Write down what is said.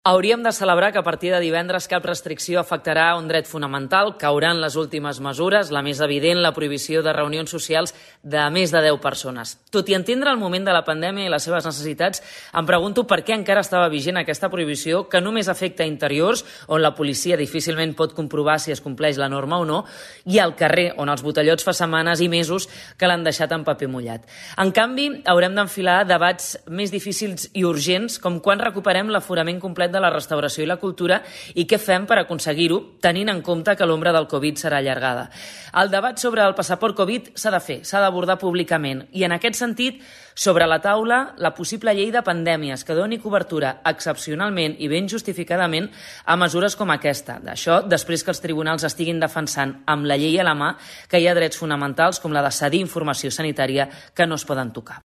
Hauríem de celebrar que a partir de divendres cap restricció afectarà un dret fonamental, cauran les últimes mesures, la més evident, la prohibició de reunions socials de més de 10 persones. Tot i entendre el moment de la pandèmia i les seves necessitats, em pregunto per què encara estava vigent aquesta prohibició que només afecta interiors, on la policia difícilment pot comprovar si es compleix la norma o no, i al carrer, on els botellots fa setmanes i mesos que l'han deixat en paper mullat. En canvi, haurem d'enfilar debats més difícils i urgents, com quan recuperem l'aforament complet de la restauració i la cultura i què fem per aconseguir-ho, tenint en compte que l'ombra del Covid serà allargada. El debat sobre el passaport Covid s'ha de fer, s'ha d'abordar públicament i en aquest sentit, sobre la taula, la possible llei de pandèmies que doni cobertura excepcionalment i ben justificadament a mesures com aquesta. D'això, després que els tribunals estiguin defensant amb la llei a la mà que hi ha drets fonamentals com la de cedir informació sanitària que no es poden tocar.